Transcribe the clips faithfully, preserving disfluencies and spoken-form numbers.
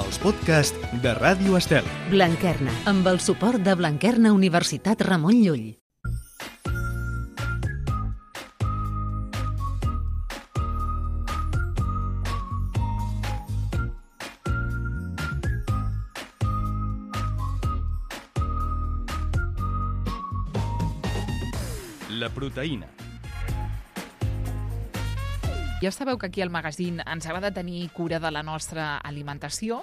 els podcasts de Ràdio Estel. Blanquerna, amb el suport de Blanquerna Universitat Ramon Llull. La proteïna. Ja sabeu que aquí al magazín ens agrada tenir cura de la nostra alimentació,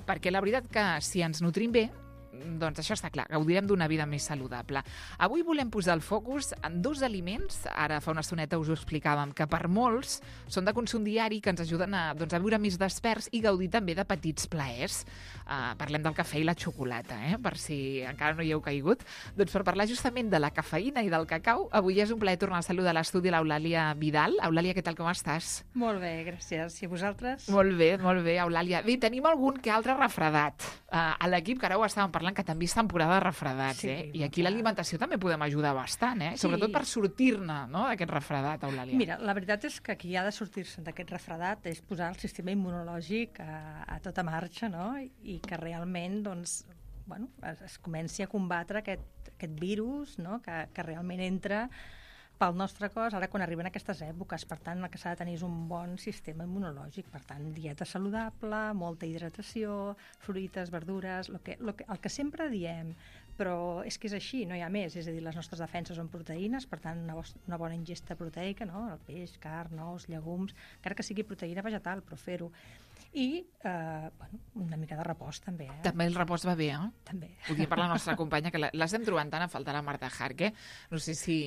perquè la veritat que si ens nutrim bé, doncs això està clar, gaudirem d'una vida més saludable. Avui volem posar el focus en dos aliments, ara fa una estoneta us ho explicàvem, que per molts són de consum diari, que ens ajuden a, doncs, a viure més desperts i gaudir també de petits plaers. Uh, parlem del cafè i la xocolata, eh? Per si encara no hi heu caigut. Doncs per parlar justament de la cafeïna i del cacau, avui és un plaer tornar a saludar a l'estudi l'Eulàlia Vidal. Eulàlia, què tal, com estàs? Molt bé, gràcies. I vosaltres? Molt bé, molt bé, Eulàlia. Bé, tenim algun que altre refredat uh, a l'equip, que ara ho estàvem parlant, que també és temporada de refredats, sí, eh? I aquí l'alimentació també podem ajudar bastant, eh? Sí. Sobretot per sortir-ne, no?, d'aquest refredat, Eulàlia. Mira, la veritat és que qui ha de sortir-se d'aquest refredat és posar el sistema immunològic a, a tota marxa, no?, i que realment, doncs, bueno, es, es comenci a combatre aquest, aquest virus, no?, que, que realment entra pel nostre cos, ara quan arriben aquestes èpoques. Per tant, el que s'ha de tenir és un bon sistema immunològic. Per tant, dieta saludable, molta hidratació, fruites, verdures, lo que, lo que, el que sempre diem, però és que és així, no hi ha més. És a dir, les nostres defenses són proteïnes, per tant, una, una bona ingesta proteica, no? El peix, carn, ous, llegums, encara que sigui proteïna vegetal, però fer-ho. I, eh, bueno, una mica de repòs, també. Eh? També el repòs va bé, eh? També. Ho dic per la nostra companya, que l'estem trobant tant a faltar, la Marta Jarque. No sé si...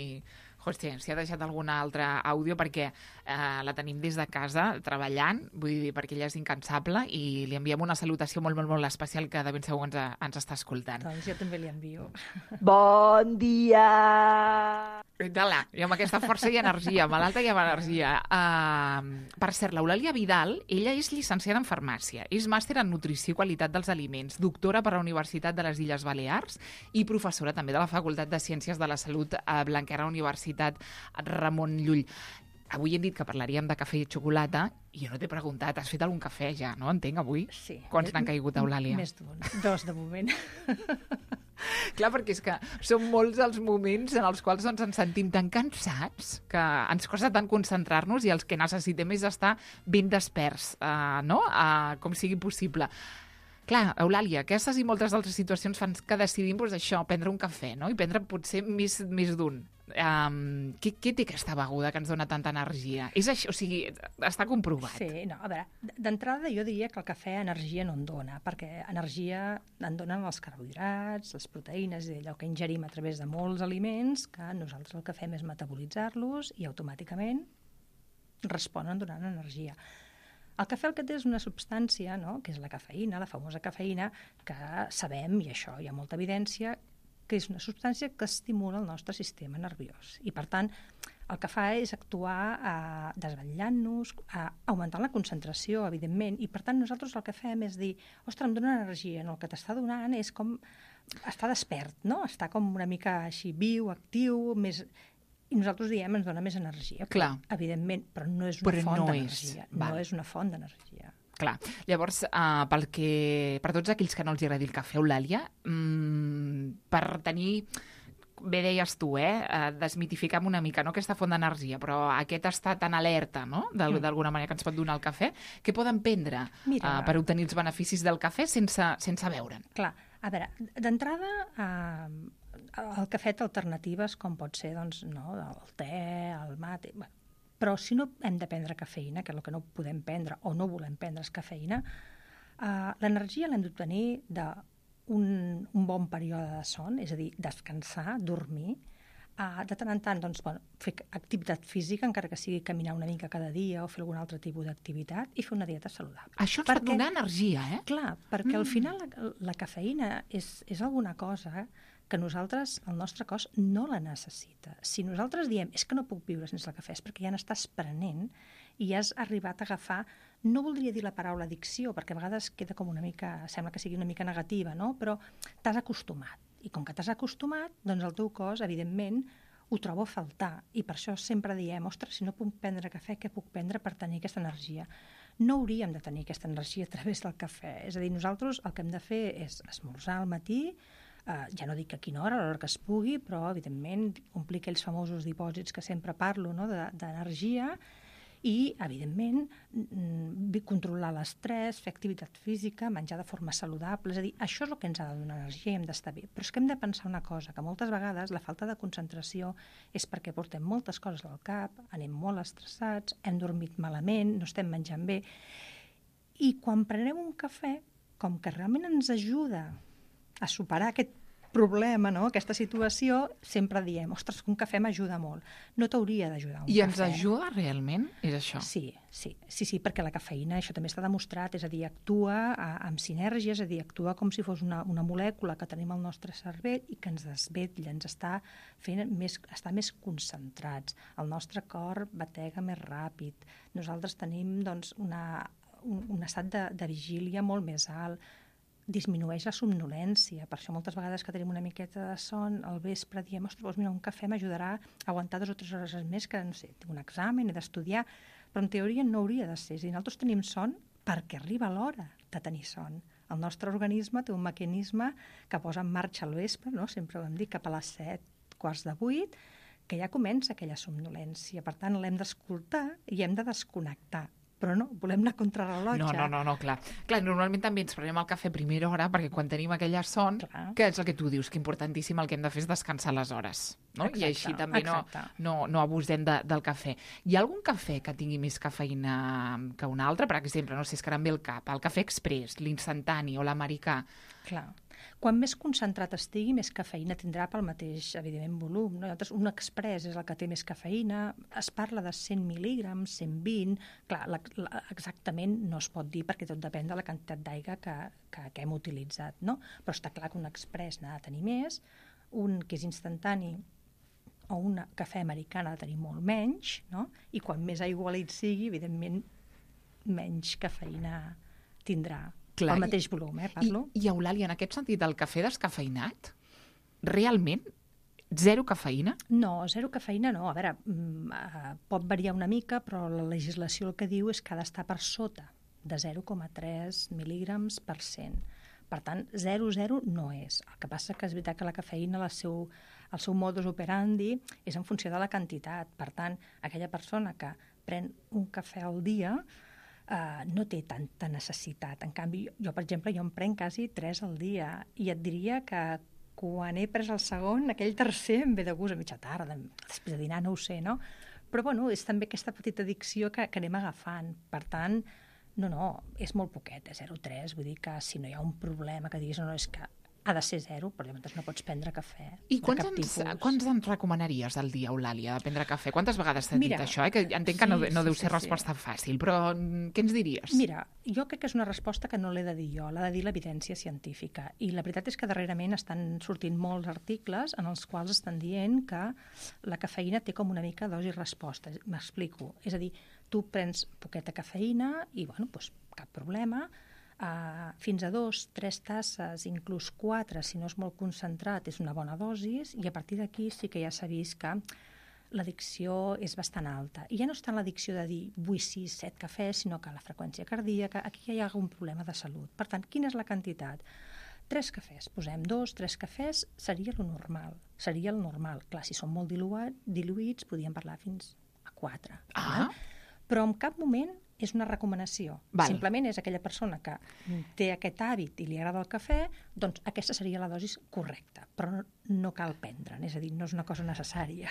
Hòstia, si ha deixat algun altre àudio, perquè eh, la tenim des de casa, treballant, vull dir, perquè ella és incansable, i li enviem una salutació molt, molt, molt especial, que de ben segur ens, ens està escoltant. Doncs jo també li envio. Bon dia! Dala, i amb aquesta força i energia, malalta i amb energia. Uh, per cert, l'Eulàlia Vidal, ella és llicenciada en farmàcia, és màster en nutrició i qualitat dels aliments, doctora per la Universitat de les Illes Balears i professora també de la Facultat de Ciències de la Salut a Blanquerna Universitat Ramon Llull. Avui hem dit que parlaríem de cafè i xocolata, i jo no t'he preguntat, has fet algun cafè ja, no? Entenc, avui? Sí. Quants n'han caigut, Eulàlia? Més d'un. Dos, de moment. Clar, perquè és que són molts els moments en els quals doncs, ens sentim tan cansats que ens costa tant concentrar-nos i els que necessitem és estar ben desperts, uh, no? Uh, com sigui possible. Clar, Eulàlia, aquestes i moltes altres situacions fan que decidim doncs, això, prendre un cafè, no? I prendre potser més, més d'un. Um, què, què té aquesta beguda que ens dona tanta energia? És això, o sigui, està comprovat. Sí, no, a veure, d'entrada jo diria que el cafè energia no en dona, perquè energia en donen els carbohidrats, les proteïnes, i allò que ingerim a través de molts aliments, que nosaltres el que fem és metabolitzar-los i automàticament responen donant energia. El cafè el que té és una substància, no?, que és la cafeïna, la famosa cafeïna, que sabem, i això hi ha molta evidència, que és una substància que estimula el nostre sistema nerviós. I, per tant, el que fa és actuar eh, desvetllant-nos, eh, augmentant la concentració, evidentment, i, per tant, nosaltres el que fem és dir, ostres, em dona energia. No, el que t'està donant és com estar despert, no? Està com una mica així viu, actiu, més... I nosaltres diem, ens dona més energia. Clar. Però, evidentment, però no és una però font no d'energia. És. No és una font d'energia. Clar. Llavors, uh, pel que, per tots aquells que no els agradi el cafè, Eulàlia, mmm, per tenir, bé deies tu, eh, uh, desmitificar una mica, no?, aquesta font d'energia, però aquest estat tan alerta, no?, d'alguna manera que ens pot donar el cafè, què poden prendre uh, per obtenir els beneficis del cafè sense, sense veure'n? Clar, a veure, d'entrada, uh, el cafè té alternatives com pot ser, doncs, no, el te, el mate... Bueno, però si no hem de prendre cafeïna, que és el que no podem prendre o no volem prendre és cafeïna, eh, l'energia l'hem d'obtenir d'un un bon període de son, és a dir, descansar, dormir, eh, de tant en tant doncs, bueno, fer activitat física, encara que sigui caminar una mica cada dia o fer algun altre tipus d'activitat, i fer una dieta saludable. Això ens pot donar energia, eh? Clar, perquè mm. al final la, la cafeïna és, és alguna cosa que nosaltres, el nostre cos, no la necessita. Si nosaltres diem, és que no puc viure sense el cafè, és perquè ja n'estàs prenent i has arribat a agafar, no voldria dir la paraula addicció, perquè a vegades queda com una mica, sembla que sigui una mica negativa, no? Però t'has acostumat. I com que t'has acostumat, doncs el teu cos, evidentment, ho trobo a faltar. I per això sempre diem, ostres, si no puc prendre cafè, què puc prendre per tenir aquesta energia? no hauríem de tenir aquesta energia a través del cafè. És a dir, nosaltres el que hem de fer és esmorzar al matí, Uh, ja no dic a quina hora, a l'hora que es pugui, però, evidentment, omplir aquells famosos dipòsits que sempre parlo, no?, de, d'energia, i, evidentment, mm, controlar l'estrès, fer activitat física, menjar de forma saludable. És a dir, això és el que ens ha de donar energia i hem d'estar bé. Però és que hem de pensar una cosa, que moltes vegades la falta de concentració és perquè portem moltes coses al cap, anem molt estressats, hem dormit malament, no estem menjant bé, i quan prenem un cafè, com que realment ens ajuda a superar aquest problema, no?, aquesta situació, sempre diem, ostres, que un cafè m'ajuda molt. No t'hauria d'ajudar un I cafè. I ens ajuda realment? És això? Sí, sí, sí, sí, perquè la cafeïna, això també està demostrat, és a dir, actua a, amb sinergia, és a dir, actua com si fos una, una molècula que tenim al nostre cervell i que ens desvetlla, ens està fent més, estar més concentrats. El nostre cor batega més ràpid. Nosaltres tenim, doncs, una, un, un estat de, de vigília molt més alt, disminueix la somnolència. Per això moltes vegades que tenim una miqueta de son, al vespre diem, ostres, doncs mira, un cafè m'ajudarà a aguantar dues o tres hores més que, no sé, tinc un examen, he d'estudiar, però en teoria no hauria de ser. És a dir, nosaltres tenim son perquè arriba l'hora de tenir son. El nostre organisme té un mecanisme que posa en marxa al vespre, no?, sempre ho hem dit, cap a les set, quarts de vuit, que ja comença aquella somnolència. Per tant, l'hem d'escoltar i hem de desconnectar. Però no, volem anar contra rellotge. No, no, no, no, clar. Clar, normalment també ens prenem el cafè a primera hora perquè quan tenim aquella son, clar, que és el que tu dius, que importantíssim, el que hem de fer és descansar les hores, no? Exacte, i així també no, no, no abusem de, del cafè. Hi ha algun cafè que tingui més cafeïna que un altre? Per exemple, no sé, es que ara em ve el cap, el cafè express, l'instantani o l'americà. Clar. Quan més concentrat estigui, més cafeïna tindrà pel mateix, evidentment, volum. No? Un express és el que té més cafeïna. Es parla de cent mil·lígrams, cent vint. Clar, la, la, exactament no es pot dir perquè tot depèn de la quantitat d'aigua que, que, que hem utilitzat. No? Però està clar que un express n'ha de tenir més, un que és instantani o un cafè americà n'ha de tenir molt menys, no? I quan més aigualit sigui, evidentment, menys cafeïna tindrà. Clar, el mateix volum, eh, parlo. I, i Eulàlia, en aquest sentit, el cafè descafeïnat, realment, zero cafeïna? No, zero cafeïna no. A veure, uh, pot variar una mica, però la legislació el que diu és que ha d'estar per sota de zero coma tres mil·lígrams per cent. Per tant, zero coma zero no és. El que passa que és veritat que la cafeïna, el seu, el seu modus operandi, és en funció de la quantitat. Per tant, aquella persona que pren un cafè al dia Uh, no té tanta necessitat. En canvi, jo, per exemple, jo en prenc quasi tres al dia i et diria que quan he pres el segon, aquell tercer em ve de gust a mitja tarda, després de dinar, no ho sé, no? Però, bueno, és també aquesta petita addicció que, que anem agafant. Per tant, no, no, és molt poquet, és zero coma tres, vull dir que si no hi ha un problema que diguis, no, no, és que ha de ser zero, perquè llavors no pots prendre cafè. I quants ens, quants ens recomanaries al dia, Eulàlia, de prendre cafè? Quantes vegades t'he dit això? Eh? Que entenc que sí, no, no sí, deu ser sí, resposta sí. fàcil, però què ens diries? Mira, jo crec que és una resposta que no l'he de dir jo, l'ha de dir l'evidència científica. I la veritat és que darrerament estan sortint molts articles en els quals estan dient que la cafeïna té com una mica dosi-resposta. M'explico. És a dir, tu prens poqueta cafeïna i, bueno, doncs cap problema. Uh, fins a dos, tres tasses, inclús quatre, si no és molt concentrat, és una bona dosi, i a partir d'aquí sí que ja s'ha vist que l'addicció és bastant alta. I ja no és tant l'addicció de dir vull sis, set cafès, sinó que la freqüència cardíaca, aquí ja hi ha algun problema de salut. Per tant, quina és la quantitat? Tres cafès, posem dos, tres cafès, seria el normal. Seria el normal. Clar, si són molt diluat, diluïts, podríem parlar fins a quatre. Ah. Eh? Però en cap moment és una recomanació. Val. Simplement és aquella persona que té aquest hàbit i li agrada el cafè, doncs aquesta seria la dosi correcta, però no, no cal prendre'n, és a dir, no és una cosa necessària.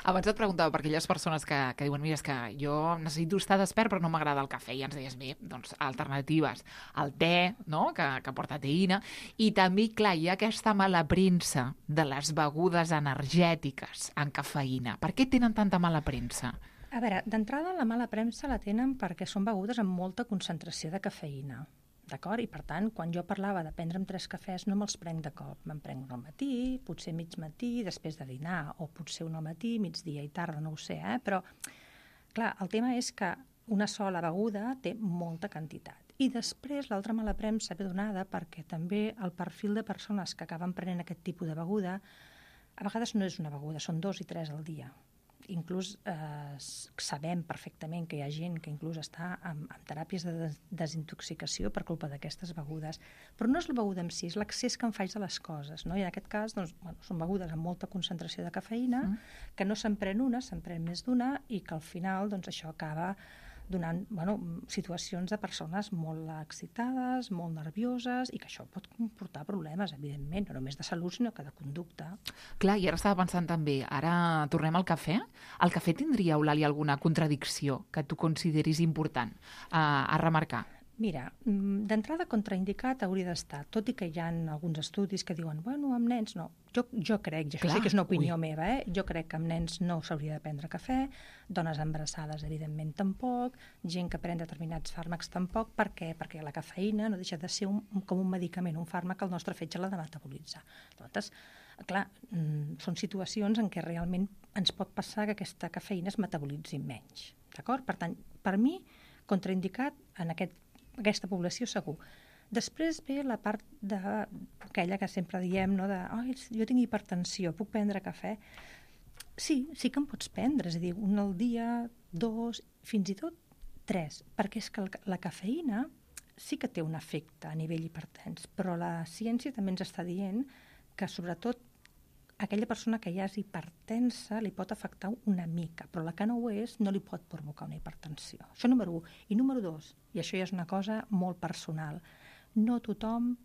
Abans et preguntava per aquelles persones que, que diuen, mira, és que jo necessito estar despert però no m'agrada el cafè, i ens deies, bé, doncs alternatives, el te, no?, que, que porta teïna, i també, clar, hi ha aquesta mala premsa de les begudes energètiques amb cafeïna. Per què tenen tanta mala premsa? A veure, d'entrada la mala premsa la tenen perquè són begudes amb molta concentració de cafeïna, d'acord? I per tant, quan jo parlava de prendre'm tres cafès, no me'ls prenc de cop. Me'n prenc un al matí, potser mig matí, després de dinar, o potser un al matí, migdia i tarda, no ho sé, eh? Però, clar, el tema és que una sola beguda té molta quantitat. I després l'altra mala premsa ve donada perquè també el perfil de persones que acaben prenent aquest tipus de beguda a vegades no és una beguda, són dos i tres al dia. inclús eh, sabem perfectament que hi ha gent que inclús està amb, amb teràpies de des desintoxicació per culpa d'aquestes begudes. Però no és la beguda en si, és l'accés que en faig de les coses, no? I en aquest cas doncs, bueno, són begudes amb molta concentració de cafeïna, mm. que no se'n pren una, se'n pren més d'una, i que al final doncs, això acaba donant bueno, situacions de persones molt excitades, molt nervioses, i que això pot comportar problemes, evidentment, no només de salut, sinó que de conducta. Clar, i ara estava pensant també, ara tornem al cafè. El cafè tindria, Eulàlia, alguna contradicció que tu consideris important a, a remarcar? Mira, d'entrada contraindicat hauria d'estar, tot i que hi ha alguns estudis que diuen, bueno, amb nens no. Jo, jo crec, i això sí que és una opinió ui. meva, eh? jo crec que amb nens no s'hauria de prendre cafè, dones embarassades evidentment tampoc, gent que pren determinats fàrmacs tampoc. Per què? Perquè la cafeïna no deixa de ser un, com un medicament, un fàrmac que el nostre fetge l'ha de metabolitzar. Llavors, clar, són situacions en què realment ens pot passar que aquesta cafeïna es metabolitzi menys. D'acord? Per tant, per mi, contraindicat en aquest aquesta població segur. Després ve la part d'aquella que sempre diem, no, de oh, jo tinc hipertensió, puc prendre cafè? Sí, sí que en pots prendre, és a dir, un al dia, dos, fins i tot tres, perquè és que la cafeïna sí que té un efecte a nivell hipertens, però la ciència també ens està dient que sobretot aquella persona que ja és hipertensa li pot afectar una mica, però la que no ho és no li pot provocar una hipertensió. Això número un. I número dos, i això ja és una cosa molt personal, no tothom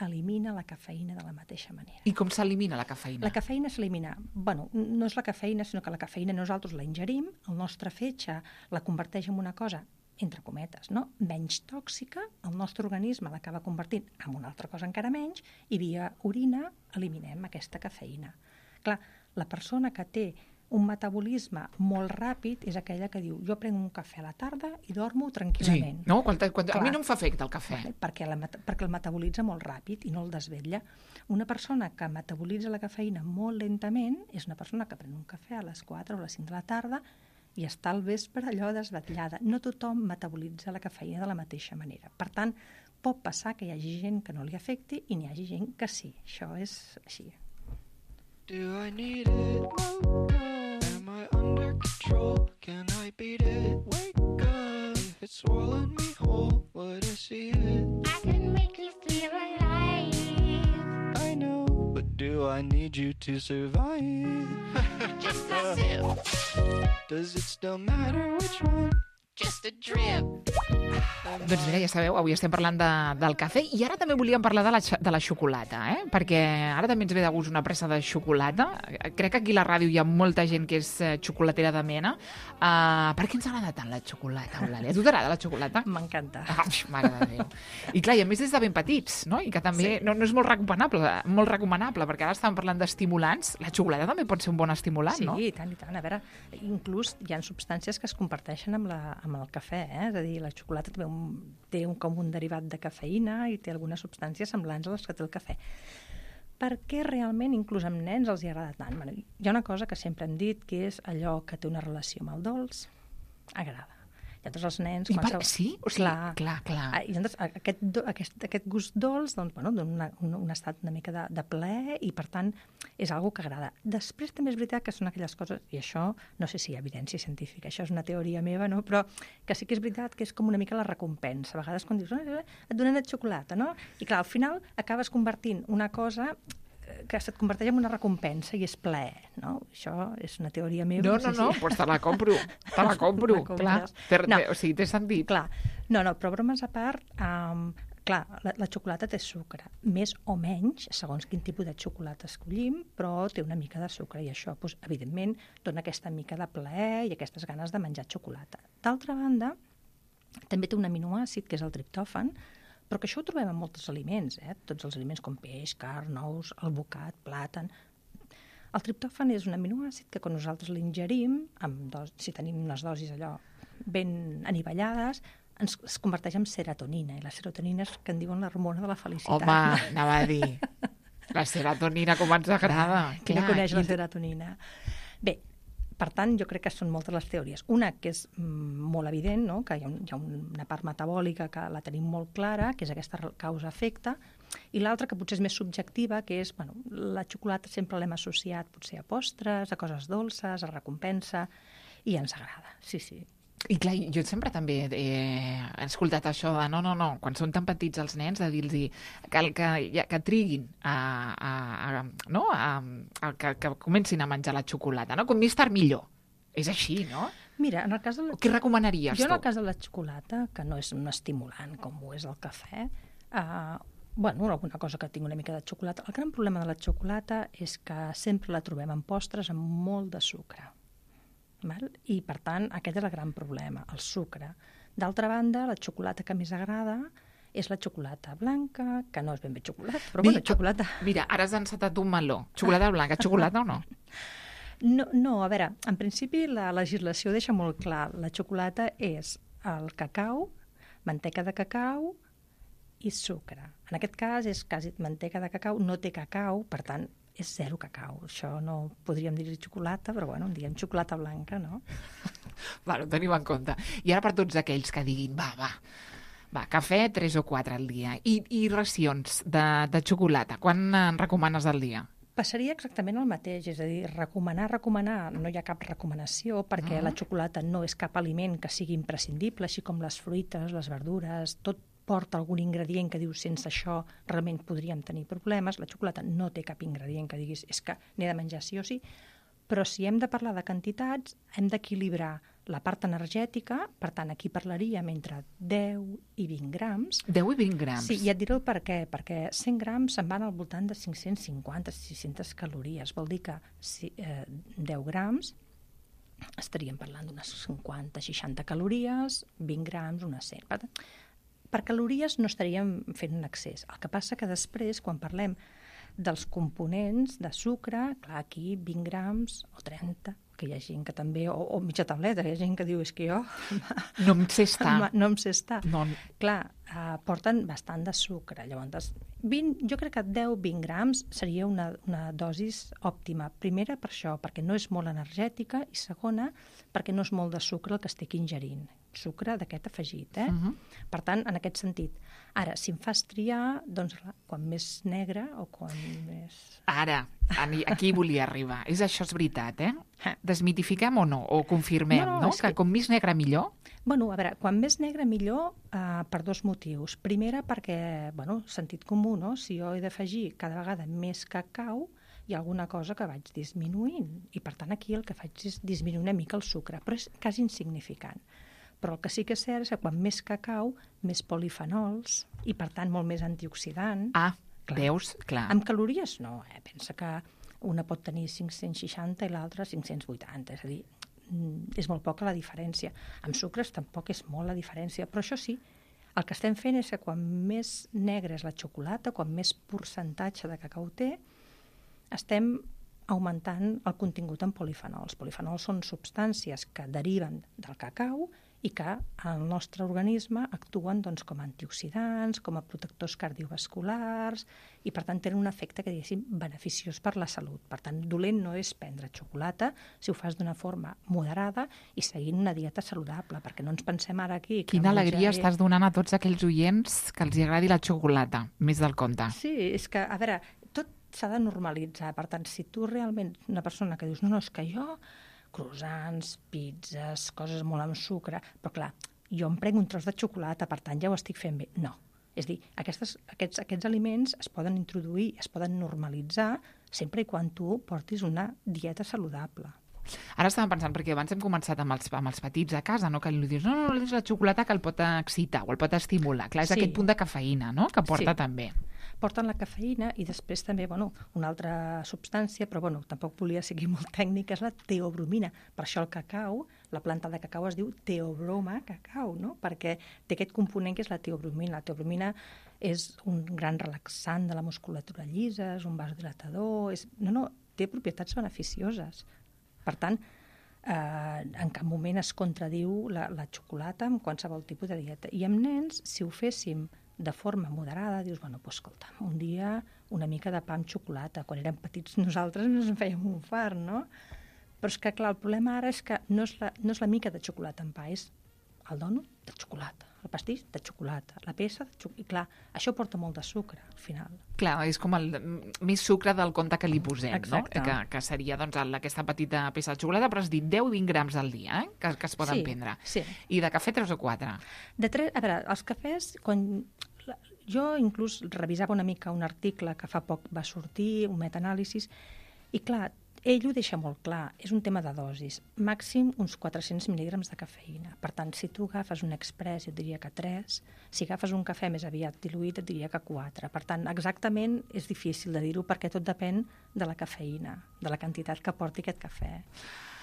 elimina la cafeïna de la mateixa manera. I com s'elimina la cafeïna? La cafeïna s'elimina, bueno, no és la cafeïna, sinó que la cafeïna nosaltres la ingerim, el nostre fetge la converteix en una cosa entre cometes, no? menys tòxica, el nostre organisme l'acaba convertint en una altra cosa encara menys, i via orina eliminem aquesta cafeïna. Clar, la persona que té un metabolisme molt ràpid és aquella que diu, jo prenc un cafè a la tarda i dormo tranquil·lament. Sí, no? Quan, quan, a mi no em fa efecte el cafè. Vale, perquè, la, perquè el metabolitza molt ràpid i no el desvetlla. Una persona que metabolitza la cafeïna molt lentament és una persona que pren un cafè a les quatre o a les cinc de la tarda i està al vespre allò desvetllada. No tothom metabolitza la cafeïna de la mateixa manera. Per tant, pot passar que hi hagi gent que no li afecti i n'hi hagi gent que sí. Això és així. Do I need it? Am I under control? Can I beat it? Wake up. If it's swallowed me whole, would I see it? I can make you feel alive. I know, but do I need you to survive? Just a sip. Does it still matter which one? Just a drip. Doncs mira, ja sabeu, avui estem parlant de, del cafè i ara també volíem parlar de la, de la xocolata, eh? Perquè ara també ens ve de gust una pressa de xocolata. Crec que aquí a la ràdio hi ha molta gent que és xocolatera de mena. Uh, per què ens agrada tant la xocolata, Eulàlia? A tu t'agrada la xocolata? M'encanta. Ah, mare de Déu. I clar, i a més des de ben petits, no? I que també sí. no, no és molt recomanable, molt recomanable, perquè ara estàvem parlant d'estimulants. La xocolata també pot ser un bon estimulant, sí, no? Sí, i tant, i tant. A veure, inclús hi ha substàncies que es comparteixen amb, la, amb el cafè, eh? És a dir, la xocolata té, un, té un, com un derivat de cafeïna i té algunes substàncies semblants a les que té el cafè. Per què realment, inclús amb nens, els hi agrada tant? Bueno, hi ha una cosa que sempre hem dit, que és allò que té una relació amb el dolç, agrada. I tots els nens... I per... Sí? O sigui, clar, clar, clar. I llavors, aquest, aquest, aquest gust dolç doncs, bueno, dona un, un estat una mica de, de plaer i, per tant, és algo que agrada. Després també és veritat que són aquelles coses, i això no sé si hi ha evidència científica, això és una teoria meva, no? Però que sí que és veritat que és com una mica la recompensa. A vegades quan dius, oh, et donen xocolata, no? I clar, al final acabes convertint una cosa que se't converteix en una recompensa i és plaer, no? Això és una teoria meva. No, no, no, no, doncs pues te la compro, te la compro, clar. Ter, no. O sigui, té sentit. Clar, no, no, però bromes a part, um, clar, la, la xocolata té sucre, més o menys, segons quin tipus de xocolata escollim, però té una mica de sucre i això, doncs, evidentment, dona aquesta mica de plaer i aquestes ganes de menjar xocolata. D'altra banda, també té un aminoàcid, que és el triptòfan, però que això ho trobem en molts aliments, eh? Tots els aliments com peix, carn, ous, alvocat, plàtan. El triptòfan és un aminoàcid que quan nosaltres l'ingerim, amb dos, si tenim unes dosis allò ben anivellades, ens es converteix en serotonina, i la serotonina és que en diuen l'hormona de la felicitat. Home, anava a dir, la serotonina com ens agrada. Qui no coneix la serotonina? Bé, Per tant, jo crec que són moltes les teories. Una que és mm, molt evident, no? Que hi ha, un, hi ha una part metabòlica que la tenim molt clara, que és aquesta causa-efecte, i l'altra que potser és més subjectiva, que és, bueno, la xocolata sempre l'hem associat potser a postres, a coses dolces, a recompensa, i ens agrada, sí, sí. I clar, jo sempre també eh, he escoltat això de no, no, no, quan són tan petits els nens, de dir-los que, que, que, que triguin a, a, a, no? a, a que, que comencin a menjar la xocolata, no? Com més tard millor. És així, no? Mira, en el cas de la... Què recomanaries jo tu? en el cas de la xocolata, que no és un estimulant com ho és el cafè, eh, bueno, alguna cosa que tinc una mica de xocolata. El gran problema de la xocolata és que sempre la trobem en postres amb molt de sucre. Val? I, per tant, aquest és el gran problema, el sucre. D'altra banda, la xocolata que més agrada és la xocolata blanca, que no és ben bé xocolata, però Mi, bueno, xocolata... Mira, ara has encetat un meló. Xocolata blanca, xocolata o no? No, no, a veure, en principi la legislació deixa molt clar. La xocolata és el cacau, manteca de cacau i sucre. En aquest cas és quasi manteca de cacau, no té cacau, per tant, és zero cacau. Això no podríem dir-hi xocolata, però bueno, en diem xocolata blanca, no? Bueno, ho tenim en compte. I ara per tots aquells que diguin, va, va, va, cafè tres o quatre al dia. I, i racions de, de xocolata, quan en recomanes al dia? Passaria exactament el mateix, és a dir, recomanar, recomanar, no hi ha cap recomanació perquè Ah. la xocolata no és cap aliment que sigui imprescindible, així com les fruites, les verdures, tot porta algun ingredient que dius sense això realment podríem tenir problemes. La xocolata no té cap ingredient que diguis és que n'he de menjar sí o sí, però si hem de parlar de quantitats hem d'equilibrar la part energètica, per tant aquí parlaríem entre deu i vint grams. deu i vint grams. Sí, i et diré el per què, perquè cent grams se'n van al voltant de cinc-cents cinquanta a sis-centes calories. Vol dir que si, eh, deu grams estaríem parlant d'unes cinquanta a seixanta calories, vint grams, unes cent. Per tant, per calories no estaríem fent un excés. El que passa que després, quan parlem dels components de sucre, clar, aquí vint grams o trenta, que hi ha gent que també, o, o mitja tableta, hi ha gent que diu, és que jo No em sé estar. no, no em sé estar. No. Clar, eh, porten bastant de sucre. Llavors, vint, jo crec que deu a vint grams seria una, una dosis òptima. Primera, per això, perquè no és molt energètica, i segona, perquè no és molt de sucre el que estic ingerint. Sucre d'aquest afegit, eh? Uh-huh. Per tant, en aquest sentit. Ara, si em fas triar, doncs, clar, quan més negre o quan més... Ara, ani- aquí volia arribar. És això, és veritat, eh? Eh. Desmitifiquem o no? O confirmem, No, no? no, no? és Que que- com més negre millor? Bueno, a veure, quan més negre millor eh, per dos motius. Primera perquè, bueno, sentit comú, no? Si jo he d'afegir cada vegada més cacau, hi ha alguna cosa que vaig disminuint. I per tant aquí el que faig és disminuir una mica el sucre, però és quasi insignificant. Però el que sí que és cert és que quan més cacau, més polifenols i per tant molt més antioxidant. Ah, Clar. veus? Clar. Amb calories no, eh? Pensa que una pot tenir cinc-cents seixanta i l'altra cinc-cents vuitanta, és a dir, mm, és molt poca la diferència. Amb sucres tampoc és molt la diferència, però això sí, el que estem fent és que quan més negra és la xocolata, quan més percentatge de cacau té, estem augmentant el contingut en polifenols. Polifenols són substàncies que deriven del cacau i que al nostre organisme actuen doncs, com a antioxidants, com a protectors cardiovasculars i per tant tenen un efecte que diguéssim beneficiós per la salut. Per tant, dolent no és prendre xocolata si ho fas d'una forma moderada i seguint una dieta saludable, perquè no ens pensem ara aquí... que Quina menjar alegria és- estàs donant a tots aquells oients que els hi agradi la xocolata, més del compte. Sí, és que, a veure, tot s'ha de normalitzar. Per tant, si tu realment ets una persona que dius no, no, és que jo croissants, pizzas, coses molt amb sucre, però clar, jo em prenc un tros de xocolata, per tant ja ho estic fent bé. No. És a dir, aquestes, aquests, aquests aliments es poden introduir, es poden normalitzar, sempre i quan tu portis una dieta saludable. Ara estàvem pensant, perquè abans hem començat amb els, amb els petits a casa, no? Que li dius, no, no, no, és la xocolata que el pot excitar o el pot estimular. Clar, és Sí. aquest punt de cafeïna, no?, que porta Sí. també. Porten la cafeïna i després també, bueno, una altra substància, però bueno, tampoc volia seguir molt tècnica, és la teobromina. Per això el cacau, la planta de cacau es diu teobroma cacau, no? Perquè té aquest component que és la teobromina. La teobromina és un gran relaxant de la musculatura llisa, és un vasodilatador, és... no, no, té propietats beneficioses. Per tant, eh, en cap moment es contradiu la, la xocolata amb qualsevol tipus de dieta. I amb nens, si ho féssim de forma moderada, dius, bueno, doncs escolta, un dia una mica de pa amb xocolata. Quan érem petits nosaltres ens en fèiem un fart, no? Però és que, clar, el problema ara és que no és la, no és la mica de xocolata en pa, és el dònut de xocolata, el pastís de xocolata, la peça de xocolata. I clar, això porta molt de sucre, al final. Clar, és com el més sucre del compte que li posem, Exacte. no? Que, que seria doncs, el- aquesta petita peça de xocolata, però has dit deu a vint grams al dia, eh? que, que es poden Sí, prendre. sí. I de cafè tres o quatre. De tres, a veure, els cafès, quan... la- jo inclús revisava una mica un article que fa poc va sortir, un metaanàlisis, i clar, ell ho deixa molt clar, és un tema de dosis, màxim uns quatre-cents mil·lígrams de cafeïna. Per tant, si tu agafes un express, jo et diria que tres, si agafes un cafè més aviat diluït, et diria que quatre. Per tant, exactament és difícil de dir-ho perquè tot depèn de la cafeïna, de la quantitat que porti aquest cafè.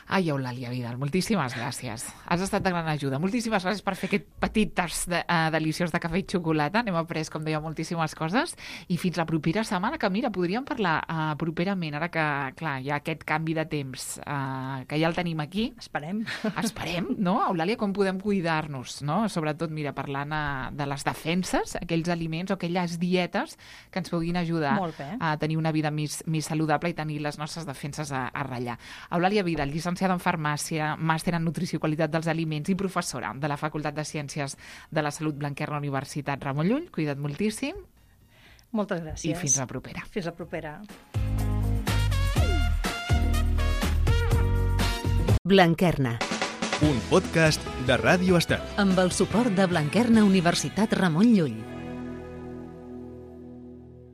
Ai, Eulàlia Vidal, moltíssimes gràcies. Has estat de gran ajuda. Moltíssimes gràcies per fer aquest petit tast de, uh, deliciós de cafè i xocolata. N'hem après, com deia, moltíssimes coses. I fins la propera setmana, que mira, podríem parlar uh, properament, ara que, clar, hi ha aquest canvi de temps, uh, que ja el tenim aquí. Esperem. Esperem, no? Eulàlia, com podem cuidar-nos, no? Sobretot, mira, parlant uh, de les defenses, aquells aliments o aquelles dietes que ens puguin ajudar Molt bé. a tenir una vida més, més saludable i tenir les nostres defenses a, a ratllar. Eulàlia Vidal, llicenciada en Farmàcia, màster en Nutrició i Qualitat dels Aliments i professora de la Facultat de Ciències de la Salut Blanquerna Universitat Ramon Llull. Cuida't moltíssim Moltes gràcies. i fins la propera. Fins la propera. Blanquerna, Un podcast de Ràdio Estel. amb el suport de Blanquerna Universitat Ramon Llull.